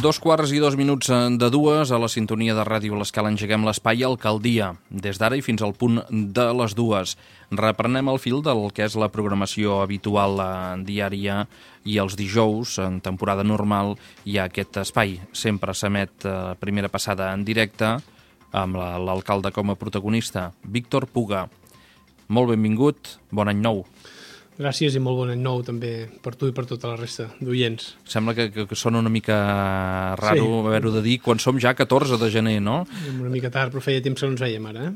2:02 de dues, a la sintonia de Ràdio L'Escala engeguem l'espai Alcaldia, des d'ara i fins al punt de les 2. Reprenem el fil del que és la programació habitual diària i els dijous, en temporada normal, hi ha aquest espai. Sempre s'emet primera passada en directe, amb l'alcalde com a protagonista, Víctor Puga. Molt benvingut, bon any nou. Gràcies i molt bon any nou també per tu i per tota la resta d'oients. Sembla que sona una mica raro haver-ho de dir quan som ja 14 de gener, no? Una mica tard, però feia temps que no ens veiem ara.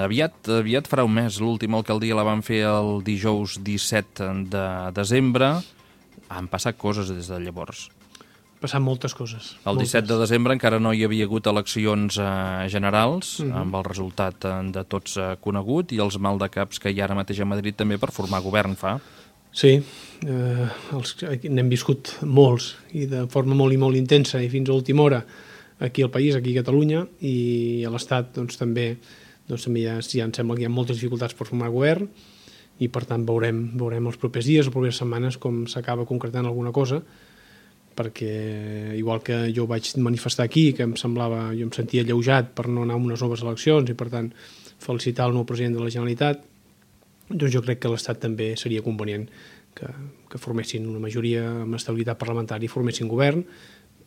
Aviat farà un mes. L'última alcaldia la van fer el dijous 17 de desembre. Han passat coses des de llavors. Passat moltes coses. El 17 de desembre encara no hi havia hagut eleccions generals, amb el resultat de tots conegut, i els maldecaps que hi ha ara mateix a Madrid també per formar govern fa. Sí, n'hem viscut molts, i de forma molt i molt intensa, i fins a última hora aquí al país, aquí a Catalunya, i a l'Estat també ja em sembla que hi ha moltes dificultats per formar govern, i per tant veurem els propers dies, les properes setmanes, com s'acaba concretant alguna cosa, perquè igual que jo vaig manifestar aquí, que jo em sentia alleujat per no anar a unes noves eleccions i per tant felicitar el nou president de la Generalitat, doncs jo crec que l'Estat també seria convenient que formessin una majoria amb estabilitat parlamentària i formessin govern,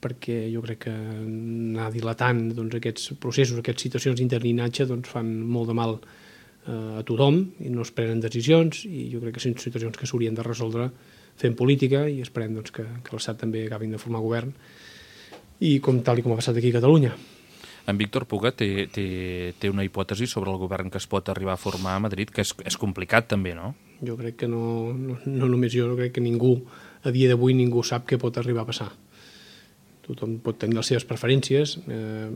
perquè jo crec que anar dilatant aquests processos, aquestes situacions d'interinatge fan molt de mal a tothom i no es prenen decisions, i jo crec que són situacions que s'haurien de resoldre fent política, i esperem que l'Estat també acabin de formar govern, i tal com ha passat aquí a Catalunya. En Víctor Puga té una hipòtesi sobre el govern que es pot arribar a formar a Madrid, que és complicat també, no? Jo crec que no només jo crec que ningú, a dia d'avui ningú sap què pot arribar a passar. Tothom pot tenir les seves preferències.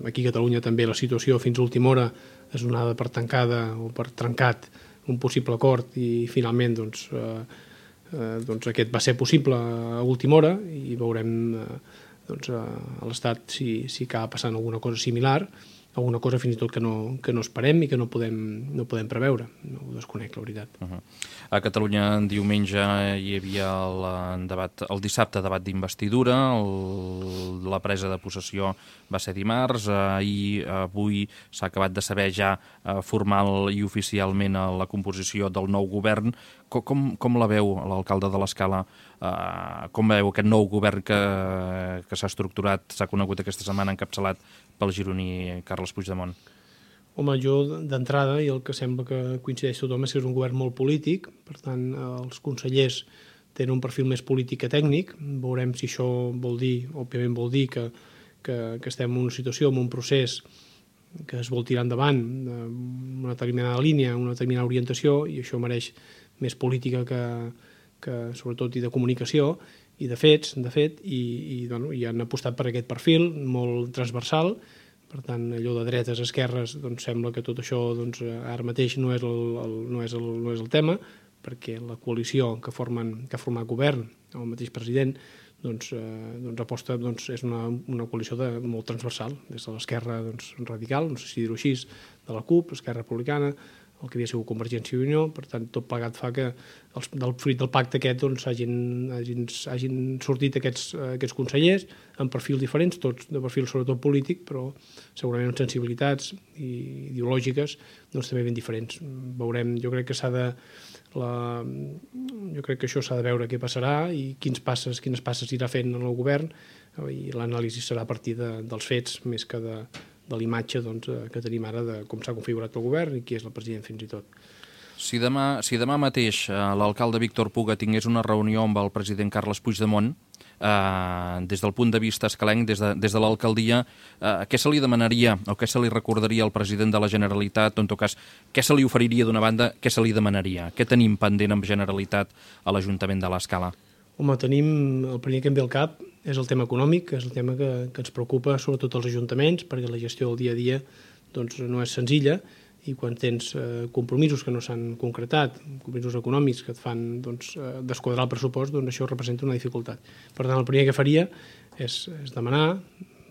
Aquí a Catalunya també la situació fins a última hora és donada per tancada o per trencat un possible acord, i finalment aquest va ser possible a última hora, i veurem a l'Estat si acaba passant alguna cosa similar, alguna cosa fins i tot que no esperem i que no podem preveure. No ho desconec, la veritat. A Catalunya diumenge hi havia el dissabte debat d'investidura, la presa de possessió va ser dimarts, avui s'ha acabat de saber ja formal i oficialment la composició del nou govern. Com la veu l'alcalde de l'Escala? Com veu aquest nou govern que s'ha estructurat, s'ha conegut aquesta setmana, encapçalat pel gironí Carles Puigdemont? Home, jo d'entrada, i el que sembla que coincideix tothom, és que és un govern molt polític, per tant els consellers tenen un perfil més polític que tècnic. Veurem si això vol dir que estem en una situació, en un procés que es vol tirar endavant, una determinada línia, una determinada orientació, i això mereix més política que sobretot i de comunicació i de fets, i han apostat per aquest perfil molt transversal. Per tant, allò de dretes a esquerres, sembla que tot això ara mateix no és el tema, perquè la coalició que ha format govern, el mateix president, aposta, és una coalició molt transversal, des de l'esquerra radical, no sé si dir-ho així, de la CUP, l'Esquerra Republicana, el que havia sigut Convergència i Unió. Per tant, tot plegat fa que del fruit del pacte aquest hagin sortit aquests consellers amb perfils diferents, tots de perfil sobretot polític, però segurament amb sensibilitats ideològiques també ben diferents. Veurem, jo crec que això s'ha de veure què passarà i quines passes irà fent el govern, i l'anàlisi serà a partir dels fets més que de l'imatge que tenim ara de com s'ha configurat el govern i qui és el president fins i tot. Si demà mateix l'alcalde Víctor Puga tingués una reunió amb el president Carles Puigdemont, des del punt de vista escalenc, des de l'alcaldia, què se li demanaria o què se li recordaria al president de la Generalitat, o en tot cas, què se li oferiria d'una banda, què se li demanaria? Què tenim pendent amb Generalitat a l'Ajuntament de l'Escala? Home, el primer que em ve al cap és el tema econòmic, que és el tema que ens preocupa sobretot als ajuntaments, perquè la gestió del dia a dia no és senzilla, i quan tens compromisos que no s'han concretat, compromisos econòmics que et fan desquadrar el pressupost, això representa una dificultat. Per tant, el primer que faria és demanar,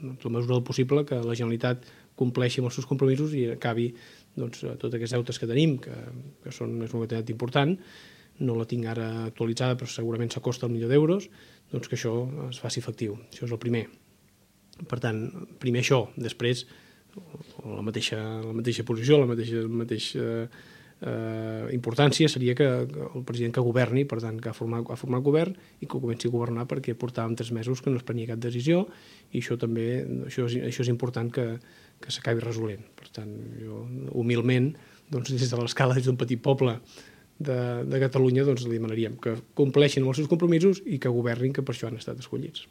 en la mesura del possible, que la Generalitat compleixi amb els seus compromisos i acabi tots aquests deutes que tenim, que és una quantitat important. No la tinc ara actualitzada, però segurament s'acosta al milió d'euros, que això es faci efectiu. Això és el primer. Per tant, primer això, després la mateixa posició, la mateixa importància seria que el president que governi, per tant, que ha format govern i que comenci a governar, perquè portàvem 3 mesos que no es prenia cap decisió i això també, això és important que s'acabi resolent. Per tant, jo humilment, doncs, des de l'escala, des d'un petit poble de Catalunya, doncs li demanaríem que compleixin els seus compromisos i que governin, que per això han estat escollits.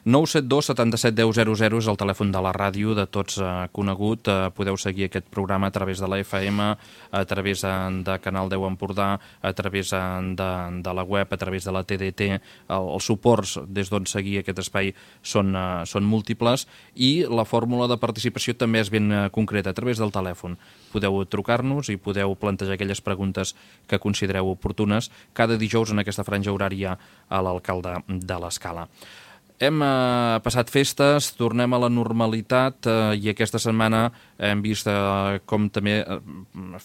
972 77 10 00 és el telèfon de la ràdio, de tots conegut. Podeu seguir aquest programa a través de la FM, a través de Canal 10 Empordà, a través de la web, a través de la TDT. Els suports des d'on seguir aquest espai són múltiples i la fórmula de participació també és ben concreta, a través del telèfon. Podeu trucar-nos i podeu plantejar aquelles preguntes que considereu oportunes cada dijous en aquesta franja horària a l'alcalde de l'Escala. Hem passat festes, tornem a la normalitat i aquesta setmana hem vist com també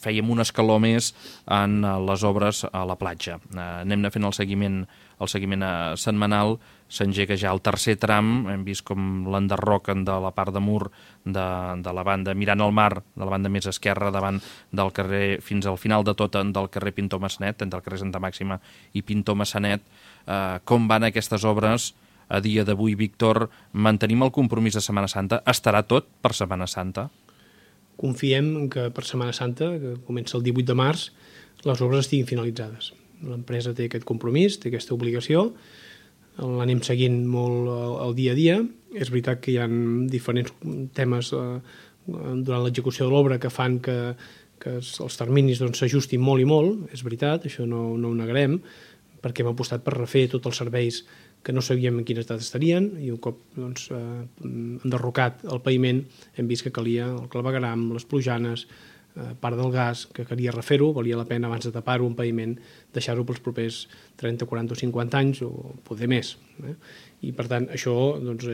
fèiem un escaló més en les obres a la platja. Anem fent el seguiment setmanal, s'engega ja el tercer tram, hem vist com l'enderroquen de la part de mur de la banda, mirant al mar, de la banda més esquerra, davant del carrer, fins al final de tot, del carrer Pintor Massanet, entre el carrer Santa Màxima i Pintor Massanet. Com van aquestes obres? A dia d'avui, Víctor, mantenim el compromís de Setmana Santa? Estarà tot per Setmana Santa? Confiem que per Setmana Santa, que comença el 18 de març, les obres estiguin finalitzades. L'empresa té aquest compromís, té aquesta obligació, l'anem seguint molt el dia a dia. És veritat que hi ha diferents temes durant l'execució de l'obra que fan que els terminis s'ajustin molt i molt, és veritat, això no ho negarem, perquè hem apostat per refer tots els serveis que no sabíem en quin estat estarien, i un cop enderrocat el paviment hem vist que calia el clavegueram, les plujanes, part del gas, que calia refer-ho, valia la pena abans de tapar-ho un paviment, deixar-ho pels propers 30, 40 o 50 anys o poder més. I per tant això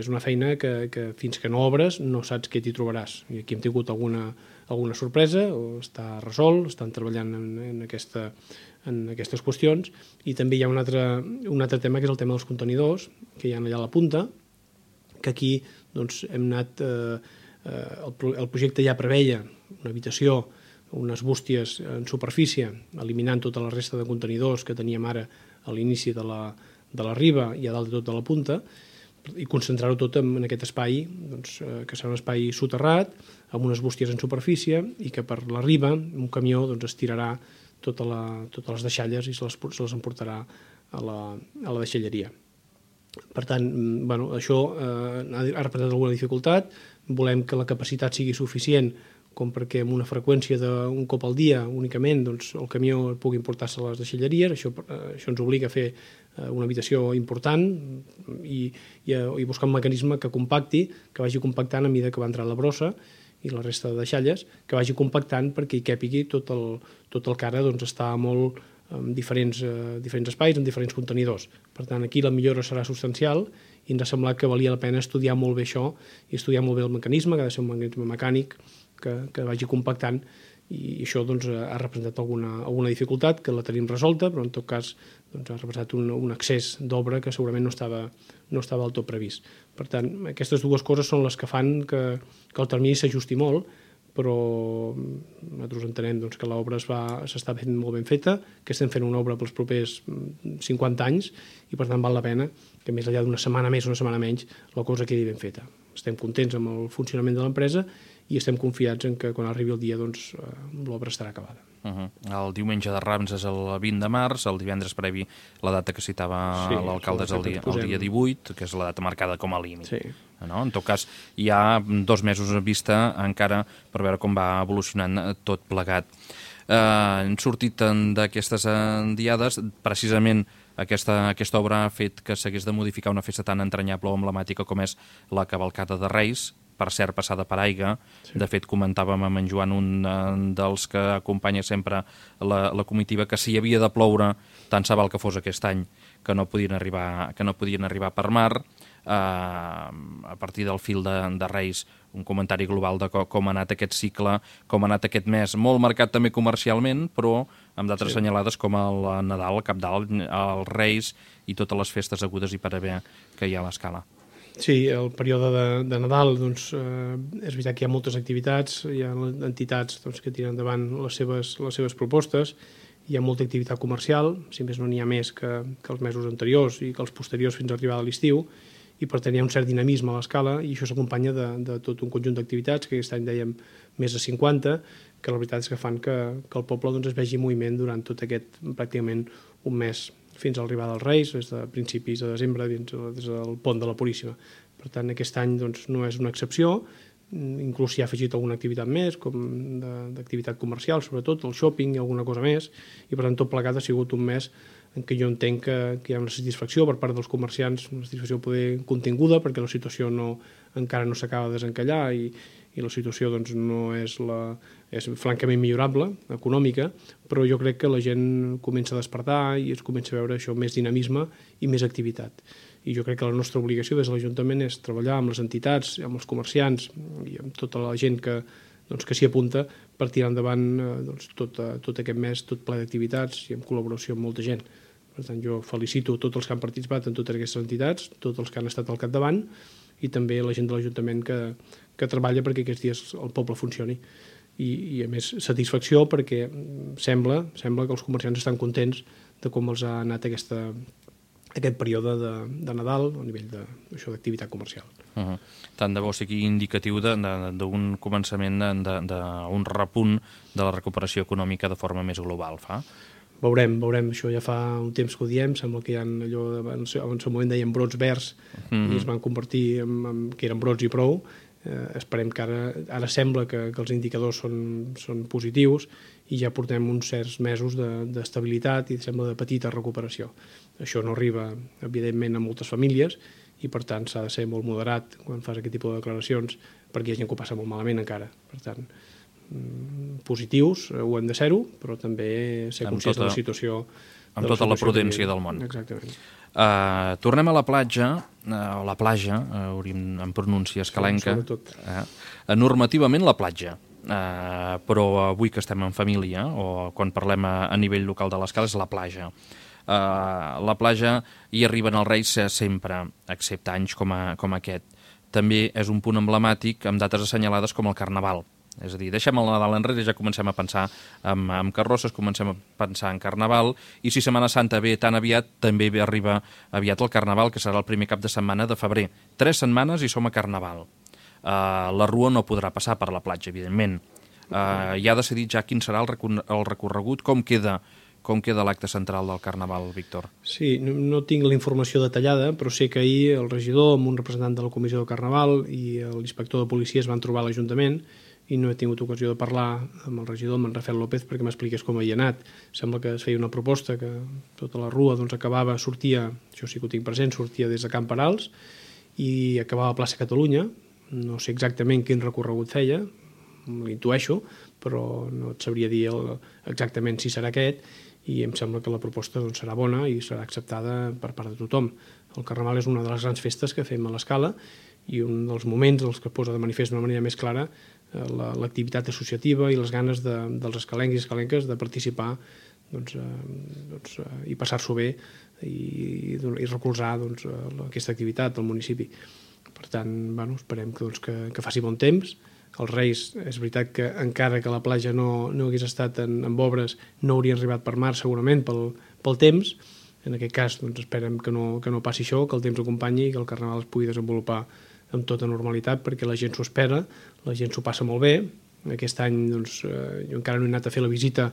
és una feina que fins que no obres no saps què t'hi trobaràs. I aquí hem tingut alguna sorpresa, o està resolt, estan treballant en aquestes qüestions, i també hi ha un altre tema, que és el tema dels contenidors, que hi ha allà a la punta, que aquí hem anat... El projecte ja preveia una habitació, unes bústies en superfície, eliminant tota la resta de contenidors que teníem ara a l'inici de la riba i a dalt de tot de la punta, i concentrar-ho tot en aquest espai, que serà un espai soterrat, amb unes bústies en superfície, i que per la riba un camió estirarà totes les deixalles i se les emportarà a la deixalleria. Per tant, això ha representat alguna dificultat. Volem que la capacitat sigui suficient com perquè amb una freqüència d'un cop al dia únicament el camió pugui portar-se a les deixalleries. Això ens obliga a fer una habitació important i buscar un mecanisme que compacti, que vagi compactant a mesura que va entrar la brossa i la resta de deixalles, que vagi compactant perquè hi càpigui tot el que ara està molt en diferents espais, en diferents contenidors. Per tant, aquí la millora serà substancial i ens ha semblat que valia la pena estudiar molt bé això i estudiar molt bé el mecanisme, que ha de ser un mecanisme mecànic que vagi compactant, i això ha representat alguna dificultat, que la tenim resolta, però en tot cas ha representat un excés d'obra que segurament no estava del tot previst. Per tant, aquestes dues coses són les que fan que el termini s'ajusti molt, però nosaltres entenem que l'obra s'està fent molt ben feta, que estem fent una obra pels propers 50 anys i per tant val la pena que més enllà d'una setmana més o una setmana menys la cosa quedi ben feta. Estem contents amb el funcionament de l'empresa i estem confiats en que quan arribi el dia l'obra estarà acabada. El diumenge de Rams és el 20 de març, el divendres previ la data que citava l'alcalde és el dia 18, que és la data marcada com a límit. Sí. En tot cas, hi ha 2 mesos a vista encara per veure com va evolucionant tot plegat. Hem sortit d'aquestes diades, precisament aquesta obra ha fet que s'hagués de modificar una festa tan entranyable o emblemàtica com és la cavalcada de Reis, per cert, passada per aigua. De fet, comentàvem amb en Joan, un dels que acompanya sempre la comitiva, que si havia de ploure, tant se val que fos aquest any, que no podien arribar per mar. A partir del fil de Reis, un comentari global de com ha anat aquest cicle, com ha anat aquest mes, molt marcat també comercialment, però amb dates assenyalades com el Nadal, el Cap d'Any, els Reis i totes les festes agudes i per haver que hi ha a l'Escala. Sí, el període de Nadal, doncs, és veritat que hi ha moltes activitats, hi ha entitats que tiren endavant les seves propostes, hi ha molta activitat comercial, si més no n'hi ha més que els mesos anteriors i que els posteriors fins a arribar a l'estiu, i per tant hi ha un cert dinamisme a l'escala i això s'acompanya de tot un conjunt d'activitats, que aquest any dèiem més de 50, que la veritat és que fan que el poble doncs, es vegi en moviment durant tot aquest pràcticament un mes fins a l'arribada dels Reis, des de principis de desembre, des del pont de la Puríssima. Per tant, aquest any doncs, no és una excepció, inclús s'hi ha afegit alguna activitat més, com d'activitat comercial, sobretot, el shopping i alguna cosa més, i per tant tot plegat ha sigut un mes en què jo entenc que hi ha una satisfacció per part dels comerciants, una satisfacció poder continguda, perquè la situació encara no s'acaba de desencallar i la situació doncs, no és francament millorable, econòmica, però jo crec que la gent comença a despertar i es comença a veure això més dinamisme i més activitat. I jo crec que la nostra obligació des de l'Ajuntament és treballar amb les entitats, amb els comerciants i amb tota la gent que s'hi apunta per tirar endavant tot aquest mes, tot ple d'activitats i en col·laboració amb molta gent. Per tant, jo felicito tots els que han participat en totes aquestes entitats, tots els que han estat al capdavant i també la gent de l'Ajuntament que treballa perquè aquests dies el poble funcioni. I a més, satisfacció perquè sembla que els comerciants estan contents de com els ha anat aquest període de Nadal a nivell d'activitat comercial. Tant de bo sigui indicatiu d'un començament, d'un repunt de la recuperació econòmica de forma més global, fa? Veurem, això ja fa un temps que ho diem, sembla que hi ha allò, en el seu moment deien brots verds i es van convertir en que eren brots i prou. Esperem que ara sembla que els indicadors són positius i ja portem uns certs mesos d'estabilitat i sembla de petita recuperació. Això no arriba, evidentment, a moltes famílies i, per tant, s'ha de ser molt moderat quan fas aquest tipus de declaracions perquè hi ha gent que ho passa molt malament encara. Per tant, positius ho hem de ser-ho, però també ser conscients de la situació. Amb tota la prudència del món. Exactament. Tornem a la platja, en pronúncia escalenca. Normativament la platja, però avui que estem en família, o quan parlem a nivell local de l'Escala, és la platja. La platja hi arriben els Reis sempre, excepte anys com aquest. També és un punt emblemàtic amb dates assenyalades com el Carnaval. És a dir, deixem el Nadal enrere i ja comencem a pensar en carrosses, comencem a pensar en Carnaval, i si Setmana Santa ve tan aviat, també arriba aviat el Carnaval, que serà el primer cap de setmana de febrer. 3 setmanes i som a Carnaval. La Rua no podrà passar per la platja, evidentment. Ja ha decidit ja quin serà el recorregut, com queda l'acte central del Carnaval, Víctor? Sí, no tinc la informació detallada, però sé que ahir el regidor amb un representant de la Comissió del Carnaval i l'inspector de policia es van trobar a l'Ajuntament i no he tingut ocasió de parlar amb el regidor, amb en Rafael López, perquè m'expliqués com havia anat. Sembla que es feia una proposta que tota la Rua sortia, això sí que ho tinc present, sortia des de Camp Perals i acabava a plaça Catalunya. No sé exactament quin recorregut feia, l'intueixo, però no et sabria dir exactament si serà aquest, i em sembla que la proposta serà bona i serà acceptada per part de tothom. El Carnaval és una de les grans festes que fem a l'Escala i un dels moments els que posa de manifest d'una manera més clara l'activitat associativa i les ganes dels escalencs i escalenques de participar i passar-s'ho bé i recolzar aquesta activitat al municipi. Per tant, esperem que faci bon temps. Els Reis, és veritat que encara que la platja no hagués estat en obres, no haurien arribat per mar segurament pel temps. En aquest cas esperem que no passi això, que el temps acompanyi i que el Carnaval es pugui desenvolupar amb tota normalitat, perquè la gent s'ho espera, la gent s'ho passa molt bé. Aquest any jo encara no he anat a fer la visita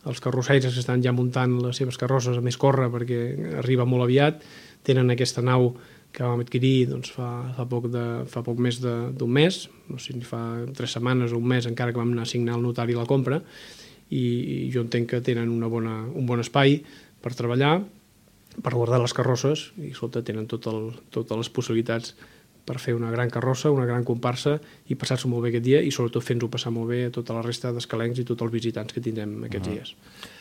als carrossaires que estan ja muntant les seves carrosses a més córrer perquè arriba molt aviat. Tenen aquesta nau que vam adquirir fa poc més d'un mes, no sé si fa 3 setmanes o un mes, encara que vam anar a signar al notari la compra, i jo entenc que tenen un bon espai per treballar, per guardar les carrosses, i tenen totes les possibilitats per fer una gran carrossa, una gran comparsa i passar-s'ho molt bé aquest dia i sobretot fent-ho passar molt bé a tota la resta d'escalencs i tots els visitants que tindrem aquests dies.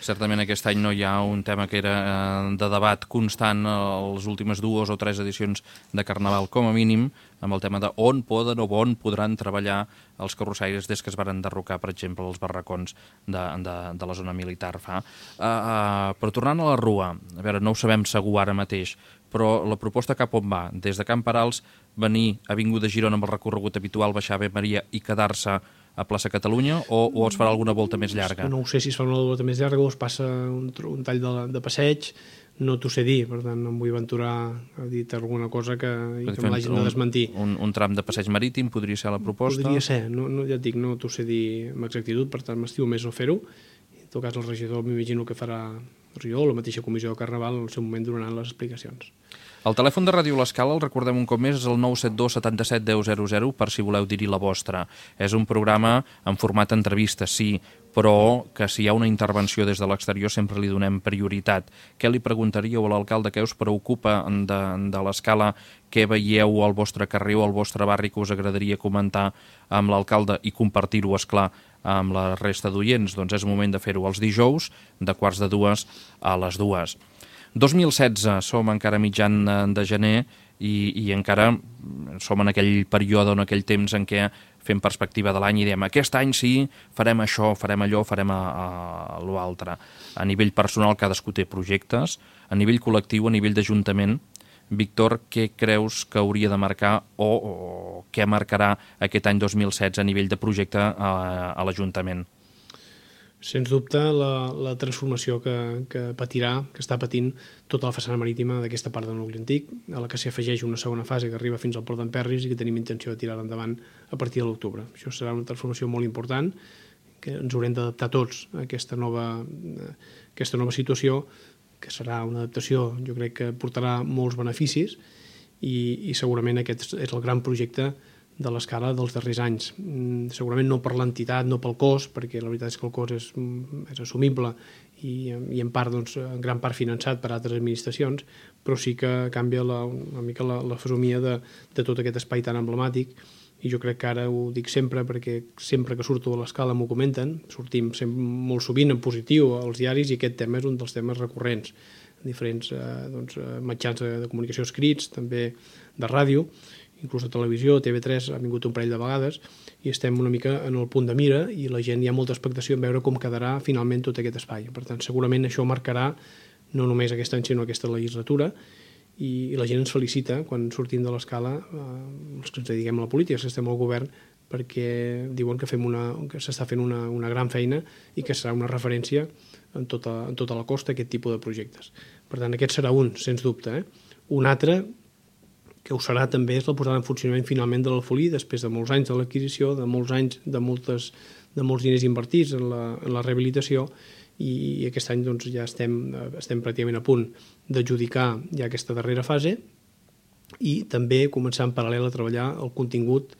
Certament aquest any no hi ha un tema que era de debat constant a les últimes 2 o 3 edicions de Carnaval, com a mínim, amb el tema de on poden o on podran treballar els carrossaires des que es van enderrocar, per exemple, els barracons de la zona militar. Però tornant a la Rua, a veure, no ho sabem segur ara mateix, però la proposta cap on va? Des de Can Parals venir a Avinguda Girona amb el recorregut habitual, baixar a Ave Maria i quedar-se a plaça Catalunya, o es farà alguna volta més llarga? No ho sé si es fa una volta més llarga o es passa un tall de passeig, no t'ho sé dir, per tant no em vull aventurar a dir alguna cosa que me l'hagin de desmentir. Un tram de passeig marítim podria ser la proposta? Podria ser, ja et dic, no t'ho sé dir amb exactitud, per tant m'estimo més no fer-ho. En tot cas el regidor m'imagino que farà el regidor o la mateixa comissió de Carnaval en el seu moment donaran les explicacions. El telèfon de Ràdio L'Escala, el recordem un cop més, és el 972 77 10 00 per si voleu dir-hi la vostra. És un programa en format entrevista, sí, però que si hi ha una intervenció des de l'exterior sempre li donem prioritat. Què li preguntaríeu a l'alcalde? Què us preocupa de l'Escala? Què veieu al vostre carrer o al vostre barri que us agradaria comentar amb l'alcalde i compartir-ho, esclar, amb la resta d'oients? Doncs és moment de fer-ho els dijous, de 1:45 a les 2. 2016, som encara mitjan de gener i encara som en aquell període, en aquell temps en què fem perspectiva de l'any i diem aquest any sí, farem això, farem allò, farem l'altre. A nivell personal cadascú té projectes, a nivell col·lectiu, a nivell d'Ajuntament. Víctor, què creus que hauria de marcar o què marcarà aquest any 2016 a nivell de projecte a l'Ajuntament? Sens dubte, la transformació que patirà, que està patint tota la façana marítima d'aquesta part del nucli antic, a la que s'hi afegeix una segona fase que arriba fins al port d'Emperris i que tenim intenció de tirar endavant a partir de l'octubre. Això serà una transformació molt important, que ens haurem d'adaptar tots a aquesta nova situació, que serà una adaptació, jo crec que portarà molts beneficis i segurament aquest és el gran projecte de l'Escala dels darrers anys. Segurament no per l'entitat, no pel cost, perquè la veritat és que el cost és assumible i en part, doncs, en gran part finançat per altres administracions, però sí que canvia una mica la fesomia de tot aquest espai tan emblemàtic i jo crec que ara ho dic sempre perquè sempre que surto a l'Escala m'ho comenten, sortim molt sovint en positiu als diaris i aquest tema és un dels temes recurrents en diferents mitjans de comunicació escrits, també de ràdio, inclús a televisió, TV3 ha vingut un parell de vegades i estem una mica en el punt de mira i la gent hi ha molta expectació en veure com quedarà finalment tot aquest espai. Per tant, segurament això marcarà no només aquest any sinó aquesta legislatura i la gent ens felicita quan sortim de l'Escala, els que ens dediquem a la política, que estem al govern, perquè diuen que s'està fent una gran feina i que serà una referència en tota la costa aquest tipus de projectes. Per tant, aquest serà un, sens dubte. Un altre que ho serà també és la posada en funcionament finalment de l'Alfolí, després de molts anys de l'adquisició, de molts anys de molts diners invertits en la rehabilitació i aquest any doncs, ja estem pràcticament a punt d'adjudicar ja aquesta darrera fase i també començar en paral·lel a treballar el contingut.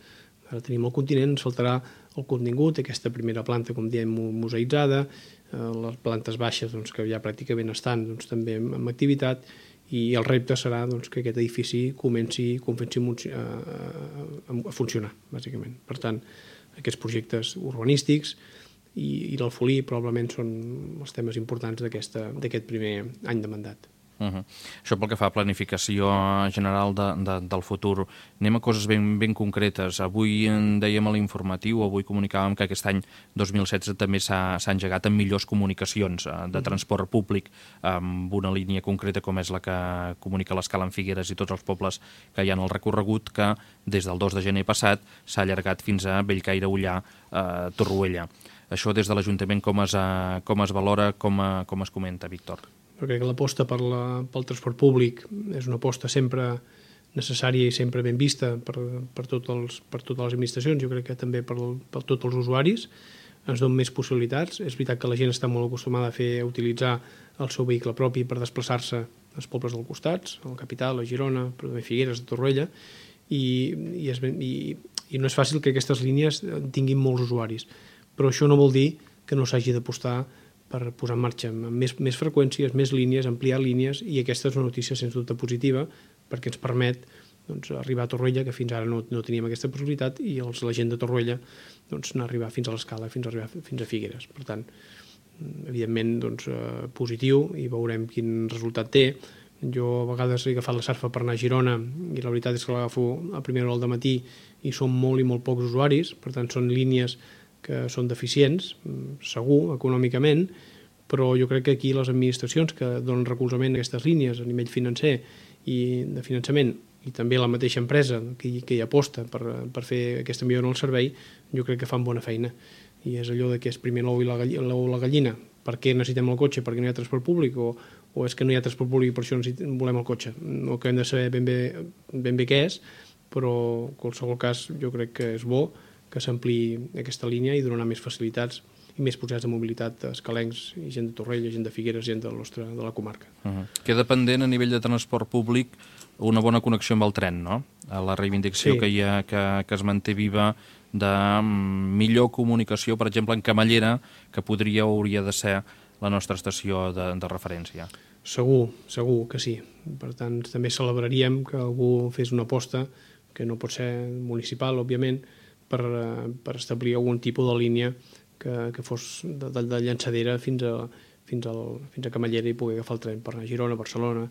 Ara tenim el continent, ens faltarà el contingut, aquesta primera planta, com diem, museïtzada, les plantes baixes doncs, que ja pràcticament estan doncs, també en activitat i el repte serà doncs, que aquest edifici comenci a funcionar, bàsicament. Per tant, aquests projectes urbanístics i l'Alfolí probablement són els temes importants d'aquest primer any de mandat. Això pel que fa a planificació general del futur. Anem a coses ben concretes. Avui en dèiem a l'informatiu, avui comunicàvem que aquest any 2016 també s'ha engegat en millors comunicacions de transport públic amb una línia concreta com és la que comunica l'Escala en Figueres i tots els pobles que hi ha en el recorregut, que des del 2 de gener passat s'ha allargat fins a Bellcaire, Ullà, Torroella. Això des de l'Ajuntament com es valora, com es comenta, Víctor? Perquè l'aposta pel transport públic és una aposta sempre necessària i sempre ben vista per totes les administracions, jo crec que també per tots els usuaris, ens donen més possibilitats. És veritat que la gent està molt acostumada a utilitzar el seu vehicle propi per desplaçar-se als pobles del costat, a la capital, a Girona, però també a Figueres, a Torroella, i no és fàcil que aquestes línies tinguin molts usuaris. Però això no vol dir que no s'hagi d'apostar per posar en marxa més freqüències, més línies, ampliar línies, i aquesta és una notícia sens dubte positiva perquè ens permet arribar a Torroella, que fins ara no teníem aquesta possibilitat, i la gent de Torroella anar a arribar fins a l'Escala, fins a Figueres. Per tant, evidentment positiu, i veurem quin resultat té. Jo a vegades he agafat la Sarfa per anar a Girona i la veritat és que l'agafo a primera hora del matí i són molt i molt pocs usuaris, per tant són línies que són deficients, segur, econòmicament, però jo crec que aquí les administracions que donen recolzament a aquestes línies a nivell financer de finançament, i també la mateixa empresa que hi aposta per fer aquesta millora en el servei, jo crec que fan bona feina. I és allò que és primer l'ou i la gallina. Per què necessitem el cotxe? Perquè no hi ha transport públic? O és que no hi ha transport públic i per això volem el cotxe? No que hem de saber ben bé què és, però en qualsevol cas jo crec que és bo que s'ampliï aquesta línia i donar més facilitats i més possibilitats de mobilitat a escalencs i gent de Torrella, gent de Figueres, gent de la comarca. Queda pendent a nivell de transport públic una bona connexió amb el tren, no? La reivindicació que es manté viva de millor comunicació, per exemple, en Camallera, que podria o hauria de ser la nostra estació de referència. Segur que sí. Per tant, també celebraríem que algú fes una aposta, que no pot ser municipal, òbviament, per establir algun tipus de línia que fos de llançadera fins a Camallera i poder agafar el tren per anar a Girona, Barcelona.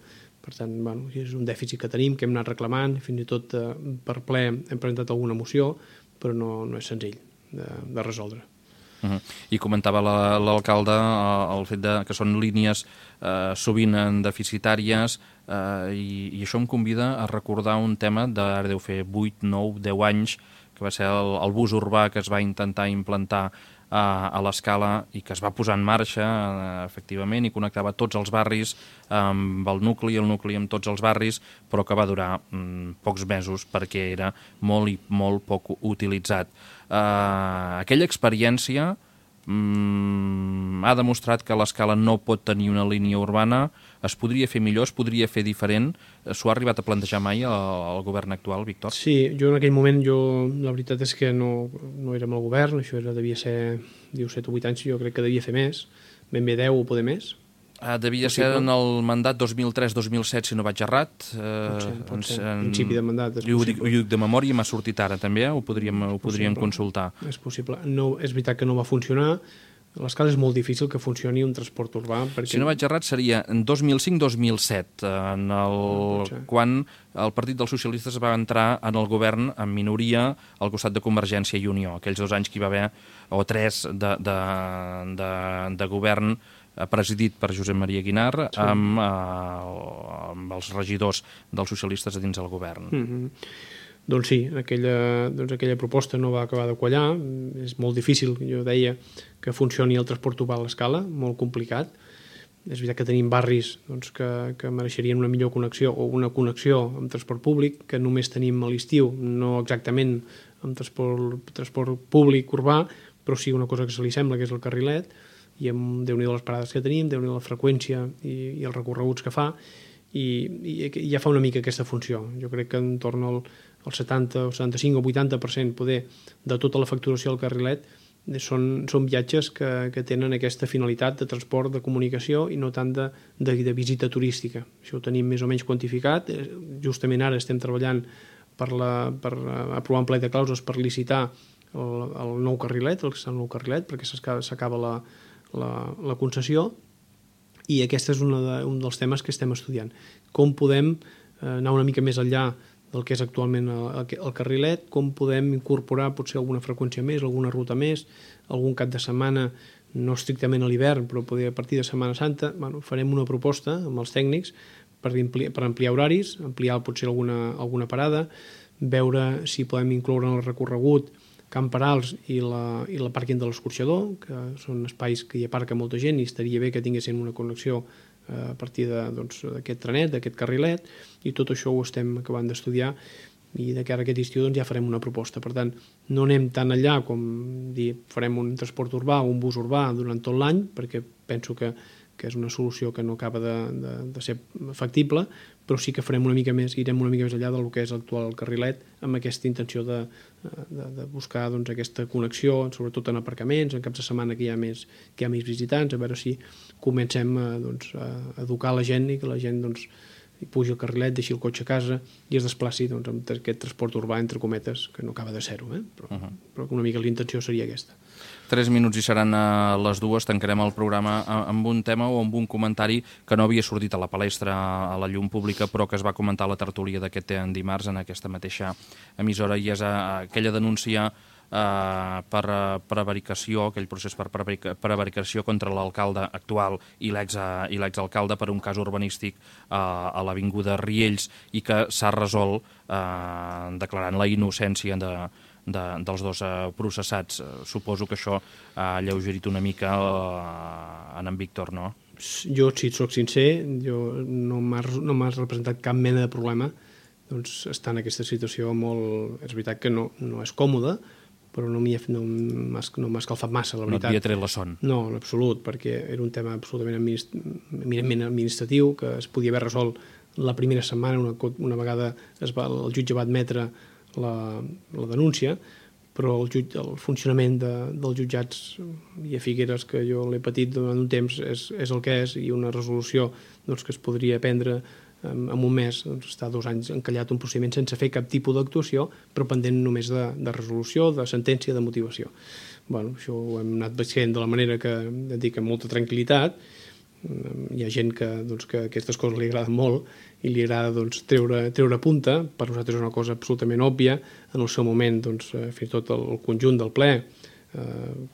Per tant, és un dèficit que tenim, que hem anat reclamant, fins i tot per ple hem presentat alguna moció, però no és senzill de resoldre. I comentava l'alcalde el fet que són línies sovint deficitàries i això em convida a recordar un tema d'ara deu fer 8, 9, 10 anys, que va ser el bus urbà que es va intentar implantar a l'Escala i que es va posar en marxa, efectivament, i connectava tots els barris amb el nucli amb tots els barris, però que va durar pocs mesos perquè era molt poc utilitzat. Aquella experiència ha demostrat que l'Escala no pot tenir una línia urbana, es podria fer millor, es podria fer diferent. S'ho ha arribat a plantejar mai el govern actual, Víctor? Sí, jo en aquell moment, la veritat és que no érem al govern, això devia ser 7 o 8 anys, jo crec que devia fer més, ben bé 10 o poder més. Devia ser en el mandat 2003-2007, si no vaig errat. Pot ser, principi de mandat. Ho dic de memòria, m'ha sortit ara també, ho podríem consultar. És possible. No, és veritat que no va funcionar. A l'Escala és molt difícil que funcioni un transport urbà. Si no vaig errat, seria en 2005-2007, quan el Partit dels Socialistes va entrar en el govern en minoria al costat de Convergència i Unió. Aquells 2 anys que hi va haver, o 3, de govern presidit per Josep Maria Guinar, amb els regidors dels socialistes a dins del govern. Doncs sí, aquella proposta no va acabar de quallar. És molt difícil, jo deia, que funcioni el transport urbà a l'Escala, molt complicat. És veritat que tenim barris que mereixerien una millor connexió o una connexió amb transport públic, que només tenim a l'estiu, no exactament amb transport públic urbà, però sí una cosa que se li sembla, que és el carrilet, i amb Déu-n'hi-do les parades que tenim, Déu-n'hi-do la freqüència i els recorreguts que fa, i ja fa una mica aquesta funció. Jo crec que en torn al 70, o 75 o 80% poder de tota la facturació del carrilet són viatges que tenen aquesta finalitat de transport, de comunicació i no tant de visita turística. Això ho tenim més o menys quantificat. Justament ara estem treballant per aprovar un plec de clàusules per licitar el nou carrilet, perquè s'acaba la concessió, i aquest és un dels temes que estem estudiant. Com podem anar una mica més enllà del que és actualment el carrilet, com podem incorporar potser alguna freqüència més, alguna ruta més, algun cap de setmana, no estrictament a l'hivern, però poder a partir de Setmana Santa. Farem una proposta amb els tècnics per ampliar horaris, ampliar potser alguna parada, veure si podem incloure en el recorregut Camp Perals i la pàrquing de l'Escorxador, que són espais que hi aparca molta gent i estaria bé que tinguessin una connexió a partir d'aquest trenet, d'aquest carrilet, i tot això ho estem acabant d'estudiar i de cara a aquest estiu ja farem una proposta. Per tant, no anem tan enllà com dir farem un transport urbà o un bus urbà durant tot l'any, perquè penso que és una solució que no acaba de ser factible, però sí que farem una mica més, irem una mica més enllà del que és l'actual carrilet, amb aquesta intenció de buscar aquesta connexió, sobretot en aparcaments, en caps de setmana que hi ha més visitants, a veure si comencem a educar la gent i que la gent pugi el carrilet, deixi el cotxe a casa i es desplaci amb aquest transport urbà, entre cometes, que no acaba de ser-ho, però una mica la intenció seria aquesta. 3 minuts i seran a les 2. Tancarem el programa amb un tema o amb un comentari que no havia sortit a la palestra, a la llum pública, però que es va comentar a la tertúlia d'aquest dimarts en aquesta mateixa emissora, i és aquella denúncia per prevaricació, aquell procés per prevaricació contra l'alcalde actual i l'exalcalde per un cas urbanístic a l'Avinguda Riells i que s'ha resolt declarant la innocència dels dos processats. Suposo que això ha alleugerit una mica en Víctor, no? Jo, si et soc sincer, no m'has representat cap mena de problema doncs estar en aquesta situació molt... És veritat que no és còmode, però no m'ha escalfat massa, la veritat. No et havia tret la son. No, en absolut, perquè era un tema absolutament administratiu que es podia haver resolt la primera setmana, una vegada el jutge va admetre la denúncia, però el funcionament dels jutjats i a Figueres, que jo l'he patit durant un temps, és el que és, i una resolució que es podria prendre en un mes, està 2 anys encallat un procediment sense fer cap tipus d'actuació, però pendent només de resolució, de sentència, de motivació. Això ho hem anat veient de la manera que dic, amb molta tranquil·litat. Hi ha gent que aquestes coses li agraden molt i li agrada treure punta. Per nosaltres és una cosa absolutament òbvia. En el seu moment, fins i tot el conjunt del ple,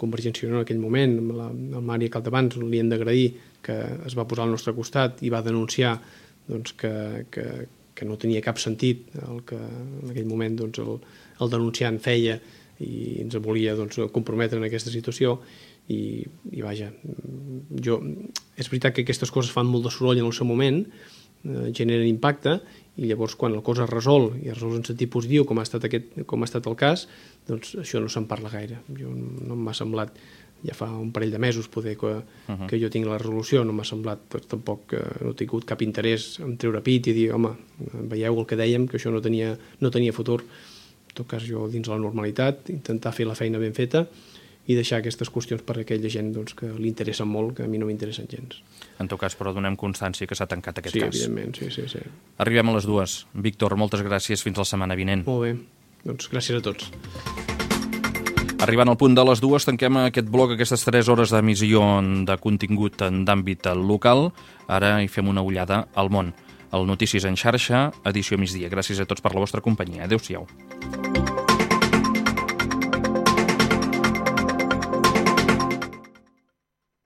Convergència i Unió en aquell moment, el Mari Capdevants, li hem d'agrair que es va posar al nostre costat i va denunciar que no tenia cap sentit el que en aquell moment el denunciant feia i ens volia comprometre en aquesta situació. I vaja, és veritat que aquestes coses fan molt de soroll en el seu moment, generen impacte, i llavors quan la cosa es resol, i es resol en sentit positiu, com ha estat el cas, doncs això no se'n parla gaire. No m'ha semblat, ja fa un parell de mesos poder que jo tinc la resolució, no m'ha semblat tampoc, no he tingut cap interès en treure pit i dir, home, veieu el que dèiem, que això no tenia futur. En tot cas, jo dins la normalitat, intentar fer la feina ben feta i deixar aquestes qüestions per a aquella gent que li interessen molt, que a mi no m'interessen gens. En tot cas, però donem constància que s'ha tancat aquest cas. Sí, evidentment, sí. Arribem a les 2. Víctor, moltes gràcies. Fins la setmana vinent. Molt bé. Gràcies a tots. Arribant al punt de les 2, tanquem aquest bloc, aquestes 3 hores d'emissió de contingut d'àmbit local. Ara hi fem una ullada al món. El Notícies en xarxa, edició migdia. Gràcies a tots per la vostra companyia. Adéu-siau.